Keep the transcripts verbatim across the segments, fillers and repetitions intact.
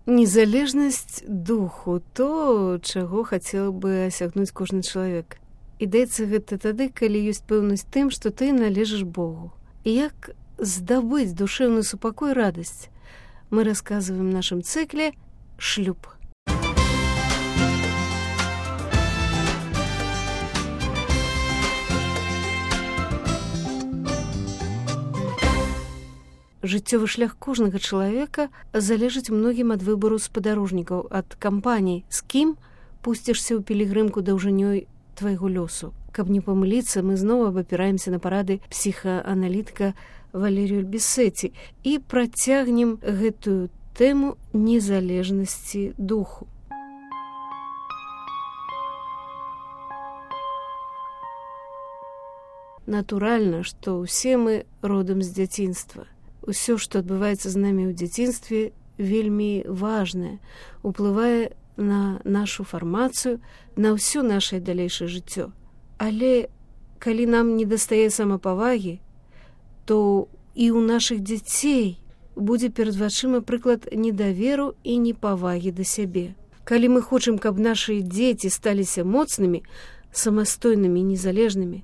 Незалежнасць духу, то, чаго хацеў бы асягнуць кожны чалавек. І даецца гэта тады, калі ёсць пэўнасць тым, што ты належыш Богу. І як здабыць душэўны супакой, радасць, мы расказваем в нашым цыкле «Шлюб». Жыццёвы шлях кожнага чалавека залежыць многім ад выбару спадарожнікаў, ад кампаній, з кім пусцішся ў пілігрымку даўжынёй твайго лёсу. Каб не памыліцца, мы зноў абапіраемся на парады псіхааналітыка Валерію Бессеці і працягнем гэтую тэму незалежнасці духу. Натуральна, што ўсе мы родам з дзяцінства. Усё, што адбываецца з намі ў дзяцінстве, вельмі важнае, уплывае на нашу фармацыю, на ўсё нашае далейшае жыццё. Але калі нам недастае самапавагі, то і ў нашых дзяцей будзе перад вачыма прыклад недаверу і непавагі да сябе. Калі мы хочам, каб нашы дзеці сталіся моцнымі, самастойнымі і незалежнымі,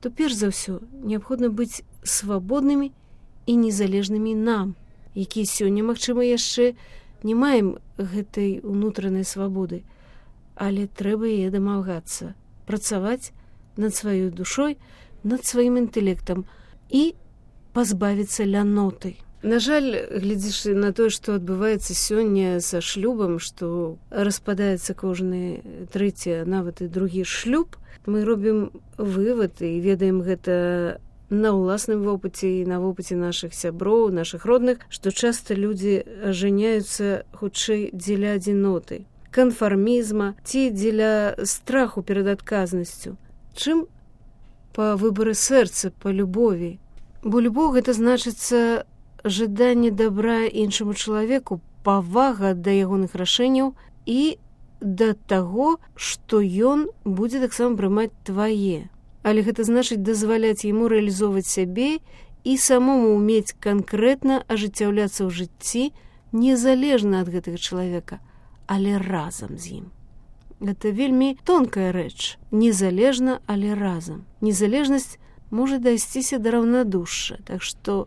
то перш за ўсё неабходна быць свабоднымі і незалежнымі нам, якія сёння, магчыма, яшчэ не маем гэтай унутранай свабоды, але трэба яе дамагацца, працаваць над сваёй душой, над сваім інтэлектам і пазбавіцца ляноты. На жаль, глядзячы на тое, што адбываецца сёння са шлюбам, што распадаецца кожны трэці, нават і другі шлюб, мы робім вывад і ведаем гэта на ўласным вопыце і на вопыце нашых сяброў, нашых родных, што часта людзі ажаняюцца хутчэй дзеля адзіноты, канфармізма ці дзеля страху перад адказнасцю, чым па выбары сэрца, па любові. Бо любоў гэта значыцца жаданне дабра іншаму чалавеку, павага да ягоных рашэнняў і да таго, што ён будзе таксама прымаць твае. Але гэта значыць дазваляць яму рэалізоўваць сябе і самому ўмець канкрэтна ажыццяўляцца ў жыцці незалежна ад гэтага чалавека, але разам з ім. Гэта вельмі тонкая рэч. Незалежна, але разам. Незалежнасць можа дайсціся да раўнадушша. Так што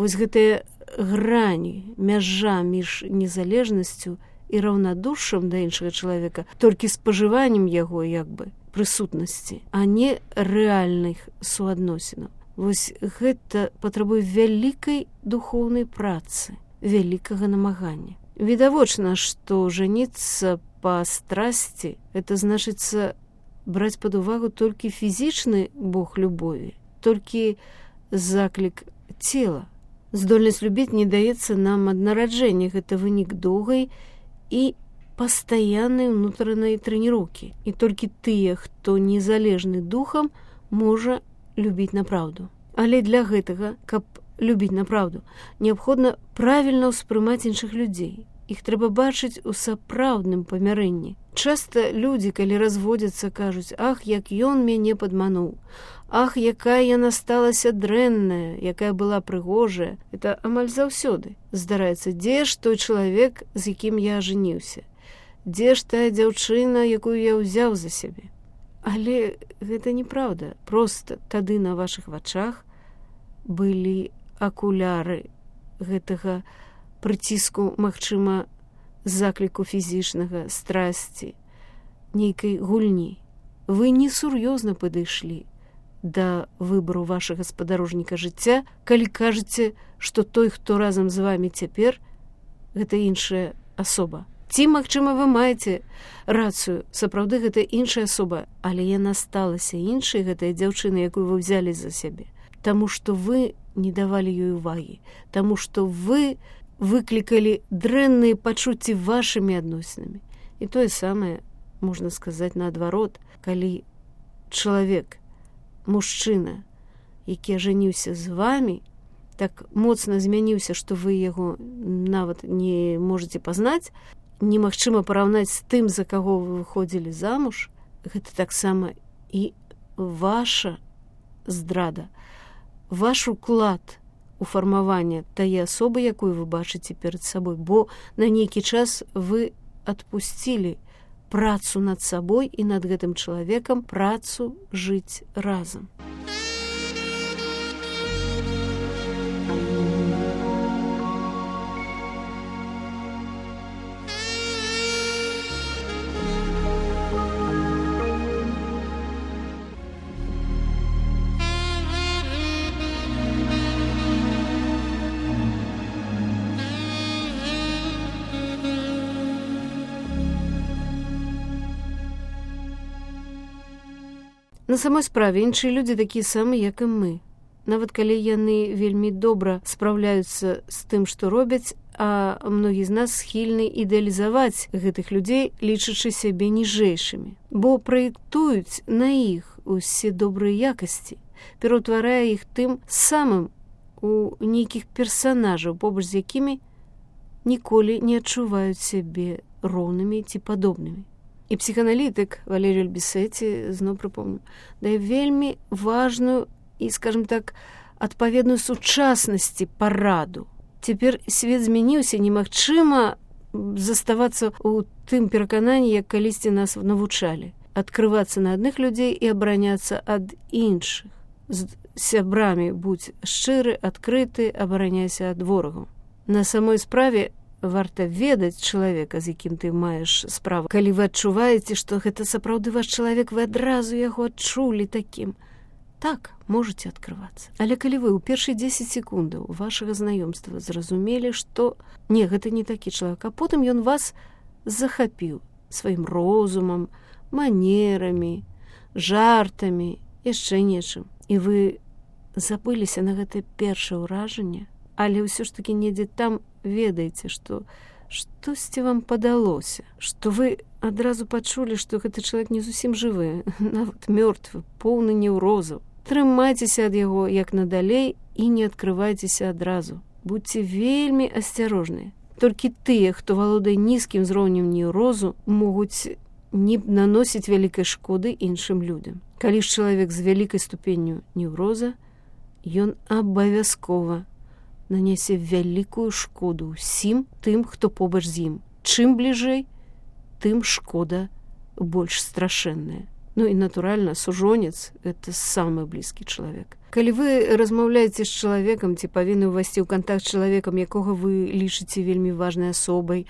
вось гэтая грань, мяжа між незалежнасцю і раўнадушшам да іншага чалавека, толькі спажываннем яго, як бы, прысутнасці, а не рэальных суадносінаў. Вось гэта патрабуе вялікай духоўнай працы, вялікага намагання. Відавочна, што жаніцца па страсці, это значыцца браць пад увагу толькі фізічны бог любові, толькі заклік цела. Здольнасць любіць не даецца нам ад нараджэння, гэта вынік доўгай і пастаяннай унутранай трэніроўкі. І толькі тыя, хто незалежны духам, можа любіць напраўду. Але для гэтага, каб любіць напраўду, неабходна правільна ўспрымаць іншых людзей. Іх трэба бачыць у сапраўдным памярэнні. Часта людзі, калі разводзяцца, кажуць: «Ах, як ён мяне падмануў! Ах, якая яна сталася дрэнная, якая была прыгожая!» Это амаль заўсёды здараецца. Дзе ж той чалавек, з якім я ажаніўся? Дзе ж тая дзяўчына, якую я ўзяў за сябе? Але гэта неправда. Проста тады на вашых вачах былі акуляры гэтага прыціску, магчыма, закліку фізічнага, страсці, нейкай гульні. Вы несур'ёзна падышлі да выбару вашага спадарожніка жыцця, калі кажаце, што той, хто разам з вамі цяпер, гэта іншая асоба. Ці, магчыма, вы маеце рацыю, сапраўды гэта іншая асоба, але яна сталася іншай, гэтая дзяўчына, якую вы взялі за сябе, таму што вы не давалі ёй увагі, таму што вы выклікалі дрэнныя пачуцці вашымі адносінамі. І тое самае можна сказаць наадварот, калі чалавек, мужчына, які ажаніўся з вамі, так моцна змяніўся, што вы яго нават не можаце пазнаць, немагчыма параўнаць з тым, за каго вы выходзілі замуж, гэта таксама і ваша здрада, ваш уклад у фармавання тае асобы, якую вы бачыце перад сабой, бо на нейкі час вы адпусцілі працу над сабой і над гэтым чалавекам, працу жыць разам. На самой справе іншыя людзі такія самыя, як і мы. Нават калі яны вельмі добра спраўляюцца з тым, што робяць, а многі з нас схільны ідэалізаваць гэтых людзей, лічачы сябе ніжэйшымі. Бо праектуюць на іх усе добрыя якасці, пераўтварае іх тым самым у нейкіх персанажаў, побач з якімі ніколі не адчуваюць сябе роўнымі ці падобнымі. І псіханалітык Валерій Альбісеці, зноў прыпомню, дае вельмі важную і, скажем так, адпаведную сучаснасці параду. Цяпер свет змяніўся, немагчыма заставацца ў тым перакананні, як калісьці нас навучалі. Адкрывацца на адных людзей і абараняцца ад іншых. З сябрамі будзь шчыры, адкрыты, абараняйся ад ворагаў. На самой справе варта ведаць чалавека, з якім ты маеш справу. Калі вы адчуваеце, што гэта сапраўды ваш чалавек, вы адразу яго адчулі такім. Так, можаце адкрывацца. Але калі вы ў першыя дзесяць секундаў вашага знаёмства зразумелі, што не, гэта не такі чалавек, а потым ён вас захапіў сваім розумам, манерамі, жартамі, яшчэ нечым. І вы забыліся на гэтае першае ўражанне, але ўсё ж такі недзе там ведаеце, што штосьці вам падалося, што вы адразу пачулі, што гэты чалавек не зусім жывы, нават мёртвы, поўны неўрозаў. Трымайцеся ад яго як надалей і не адкрывайцеся адразу. Будьце вельмі асцярожныя. Толькі тыя, хто валодае нізкім узроўнем неўрозу, могуць не наносіць вялікай шкоды іншым людям. Калі ж чалавек з вялікай ступенню неўроза, ён абавязкова нанясе вялікую шкоду ўсім тым, хто побач з ім. Чым бліжэй, тым шкода больш страшэнная. Ну і, натуральна, сужонец – гэта самы блізкі чалавек. Калі вы размаўляеце з чалавекам, ці павінны ўвайсці ў кантакт з чалавекам, якога вы лічыце вельмі важнай асобай,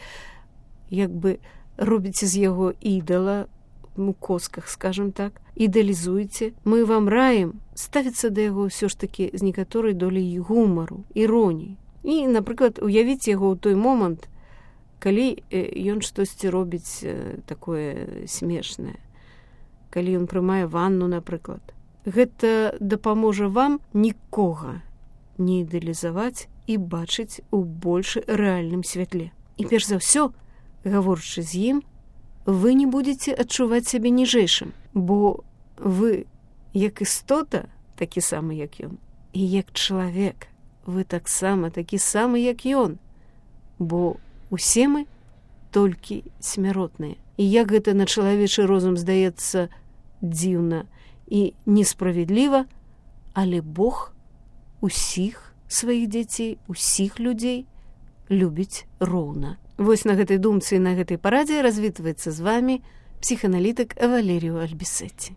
як бы робіце з яго ідала, у косках, скажем так, ідэалізуеце, мы вам раім ставіцца да яго ўсё ж такі з некаторай доляй гумару, іроніі. І, напрыклад, уявіць яго ў той момант, калі ён штосьці робіць такое смешнае, калі ён прымае ванну, напрыклад. Гэта дапаможа вам нікога не ідэалізаваць і бачыць у больш рэальным святле. І перш за ўсё, гаворачы з ім, вы не будете адчуваць сябе ніжэйшым, бо вы, як істота, такі самы, як ён, і як чалавек, вы таксама такі самы, як ён, бо усе мы толькі смяротныя. І як гэта на чалавечы розум здаецца дзіўна і несправядліва, але Бог усіх сваіх дзяцей, усіх людзей любіць роўна. Вось на гэтай думцы і на гэтай парадзе развітваецца з вамі псіханалітык Валерій Альбісеці.